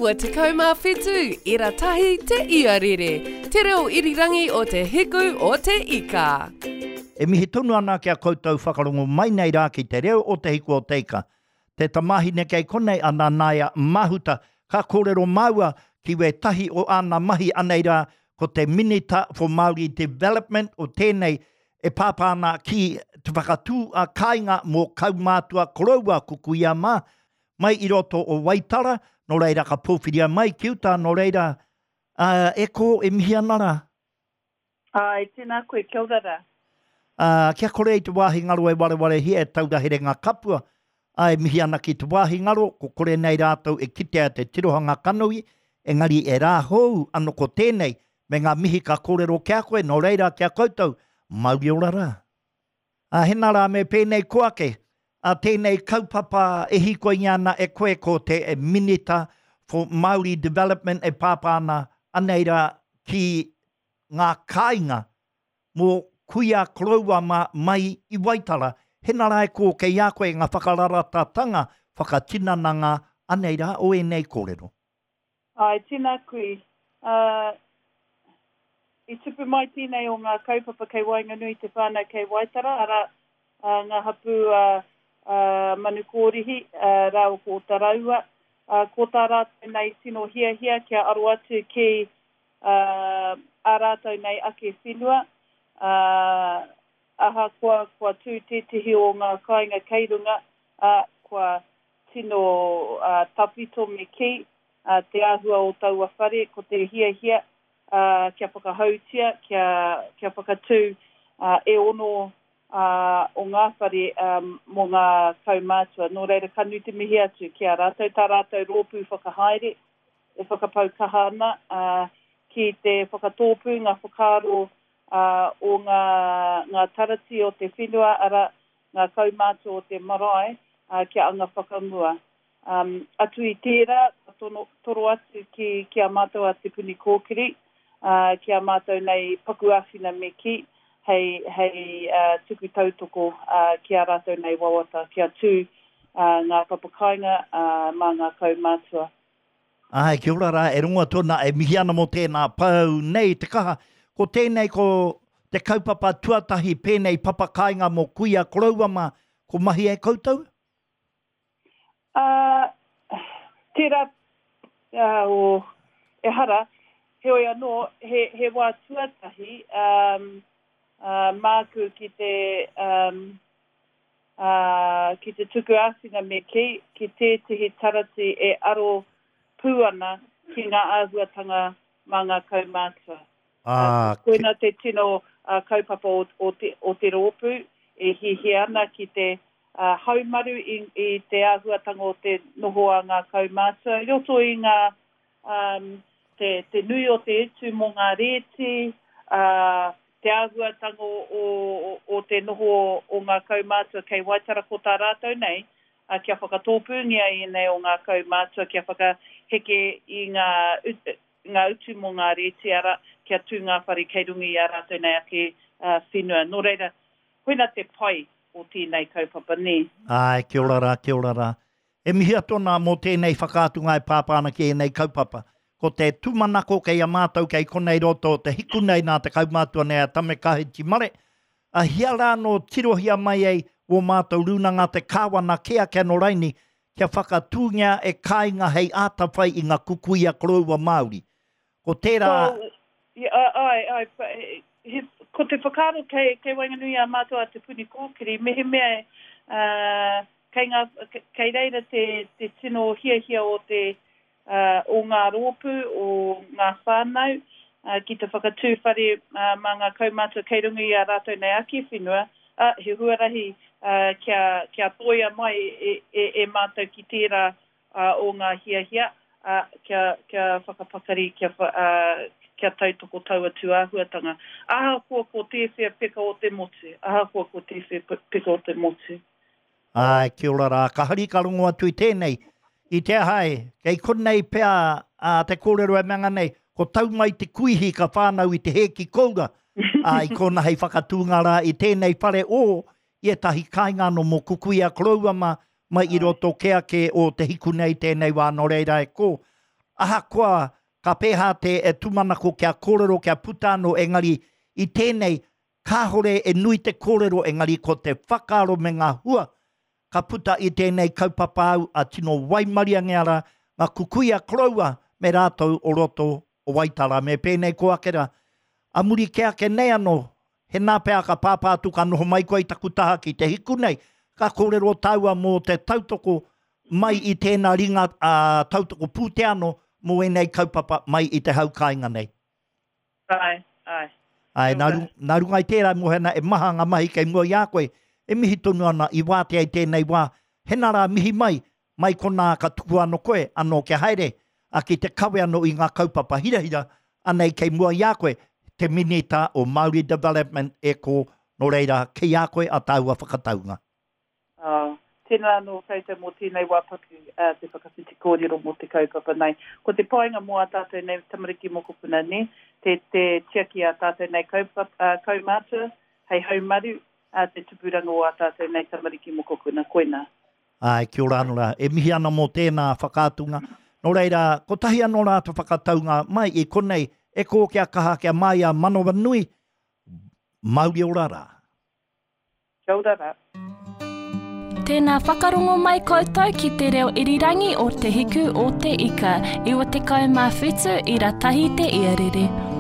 97 ira tahi te iarere, te reo irirangi o te hiku o te ika. E mihi tonu ana ki a koutou whakarongo mai nei rā ki te reo o Te Hiku o Te Ika. Te tamāhine kei konei a Nanaia Mahuta, ka kōrero māua ki wētahi o āna mahi anei rā ko te Minita for Māori Development o tēnei e pāpā ana ki te whakatū a kāinga mō kaumātua koroua kukuia mā mai i roto o Waitara, nō reira ka pōwhiria mai ki uta, nō reira, ā, e kō, e mihi ana rā. Āe, tēnā koe, kia ora rā. Ā, kia kore i te wāhi ngaro e warewarehia e taura herenga kapua, ā, e mihi ana ki te wāhi ngaro, ko kore nei rātou e kitea te tirohanga kanohi, engari e rā hou ano ko tēnei, me ngā mihi ka kōrero ki a koe, nō reira ki a koutou, mauri ora rā. Ā, hena rā me pēnei ko ake, ā, tēnei kaupapa e hīkoingia ana e koe ko te Minita for Māori Development e pāpā ana anei rā ki ngā kāinga mō kuia koroua mā mai i Waitara, hena rā e kō kei a koe ngā whakararatatanga whakatinananga anei rā o ēnei kōrero. Āe, tēnā kui. Ā, i tupu mai tēnei o ngā kaupapa kei waenganui i te whānau kei Waitara, arā, ngā hapū a, a Manukōrihi rāua ko Otaraua. Ā, ko tā rātou nei tino hiahia kia aro atu ki, ā, ā rātou nei ake whenua, ā, ahakoa kua tū tētehi o ngā kāinga kei runga, ā, kua tino tawhito me kī, te āhua o taua whare, ko te hiahia kia whakahoutia, kia, kia whakatū e ono o ngā whare mō ngā kaumātua. Nō reira, ka nui te mihi atu ki a rātou, tā rātou rōpū whakahaere e whakapau kaha ana ki te whakatōpū ngā whakaaro o ngā, ngā tarati o te whenua, arā, ngā kaumātua o te marae kia anga whakamua. Atu i tērā, ka tono, toro atu ki, ki a mātou a Te Puni Kōkiri, ki a mātou nei paku āwhina me kī, hei, hei tuku tautoko ki ā rātou nei wawata, kia tū ngā papakāinga mā ngā kaumātua. Āe, kia ora rā, e rongo atu ana, e mihi ana mō tēnā pou nei te kaha. Ko tēnei ko te kaupapa tuatahi pēnei papakāinga mō kuia koroua mā, ko mahi e koutou? Ā, tērā, ā, o, ehara, heoi anō, he, he wā tuatahi, ā, ā, māku ki te, ā, ā, ki te tuku āwhina me kī, ki tētehi tarati e aro pū ana ki ngā āhuatanga mā ngā kaumātua. Ā, Koina te tino kaupapa o, o te, o te rōpū e hiahia ana ki te haumaru i, i te āhuatanga o te noho a ngā kaumātua i roto i ngā, te, te nui o te utu mō ngā rēti, ā, te āhuatanga o, o te noho o ngā kaumātua kei Waitara ko tā rātou nei, ā, kia whakatōpūngia ēnei o ngā kaumātua kia whakaheke i ngā, ngā utu mō ngā rēti, arā, kia tū ngā whare kei runga i ā rātou nei ake whenua. Nō reira, koina te pai o tēnei kaupapa, nē. Āe, kia ora rā, kia ora rā. E mihi atu ana mō tēnei whakaatunga e pāpā ana ki ēnei kaupapa. Ko te tūmanako kei a mātou kei konei roto o te hiku nei nā te kaumātua nei a Tame Kahiti Mare, a hia rā nō tirohia mai ai wō mātou rūnanga te kāwana kē ake anō raini kia whakatūngia e kāinga hei āta whai i ngā kukuia koroua Māori. Ko tērā. Well, āe, āe, he, ko te whakaaro kei, kei waenganui i a mātou a Te Puni Kōkiri, mehemea, ā, kei ngā, kei reira te, te tino hiahia o te, ā, o ngā rōpū, o ngā whānau, ā, ki te whakatū whare, ā, mā ngā kaumātua kei runga i ā rātou nei ake whenua, ā, he huarahi, ā, kia, kia tōia mai e, e, e mātou ki tērā, ā, o ngā hiahia, ā, kia, kia whakapakari, kia, ā, kia tautoko taua tūāhuatanga. Ahakoa ko tēwhea peka o te motu, ahakoa ko tēwhea peka o te motu. Āe, kia ora rā. Ka hari ka rongo atu i tēnei. I te aha e, kei konei pea ā, te kōrero e mea nei, ko tau mai te kuihi ka whānau i te hēki koura, ā, i kōna hei whakatūnga rā i tēnei whare o i ētahi kāinga anō mō Kukuia koroua mā, mai i roto kē ake o te hiku nei tēnei wā, nō reira e kō. Ahakoa ka pēhā te tūmanako kia kōrero, kia puta anō, engari i tēnei, kāhore e nui te kōrero, engari ko te whakaaro me ngā hua ka puta i tēnei kaupapa au a tino waimariangia rā ngā kukuia koroua me rātou o roto o Waitara me pēnei ko ake rā. A muri kē ake nei anō, hēnā pea ka pāpā atu ka noho mai koe i taku taha ki te hiku nei, ka kōrero tāua mō te tautoko mai i tēnā ringa tautoko pūtea anō mō ēnei kaupapa mai i te hau kāinga nei. Āe, āe. Āe, nā, nā runga i tērā e moe ana e maha ngā mahi kei mua i a koe, e mihi tonu ana i wātea i tēnei wā, hena rā mihi mai, mai konā ka tukua anō koe, anō kia haere, a ki te kawe anō i ngā kaupapa hirahira, anei kei mua i a koe, te Minita o Māori Development e kō, nō reira, kei a koe a tāua whakataunga. Oh, tēnā anō koutou mō tēnei wā paku te whakawhiti kōrero mō te kaupapa nei. Ko te painga mō ā tātou nei tamariki mokopuna, nē, te, te tiaki ā tātou nei kaupapa, kaumātua hei haumaru te tupuranga o ā tātou nei tamariki mokopuna, koinā. Āe, kia ora anō rā. E mihi ana mō tēnā whakaatunga. Nō reira, kotahi anō rā te whakataunga mai i konei, e kō kia kaha, kia māia manawanui, mauri ora rā. Kia ora rā. Tēnā whakarongo mai koutou ki te reo irirangi o Te Hiku o Te Ika, 97 ira tahi te iarere.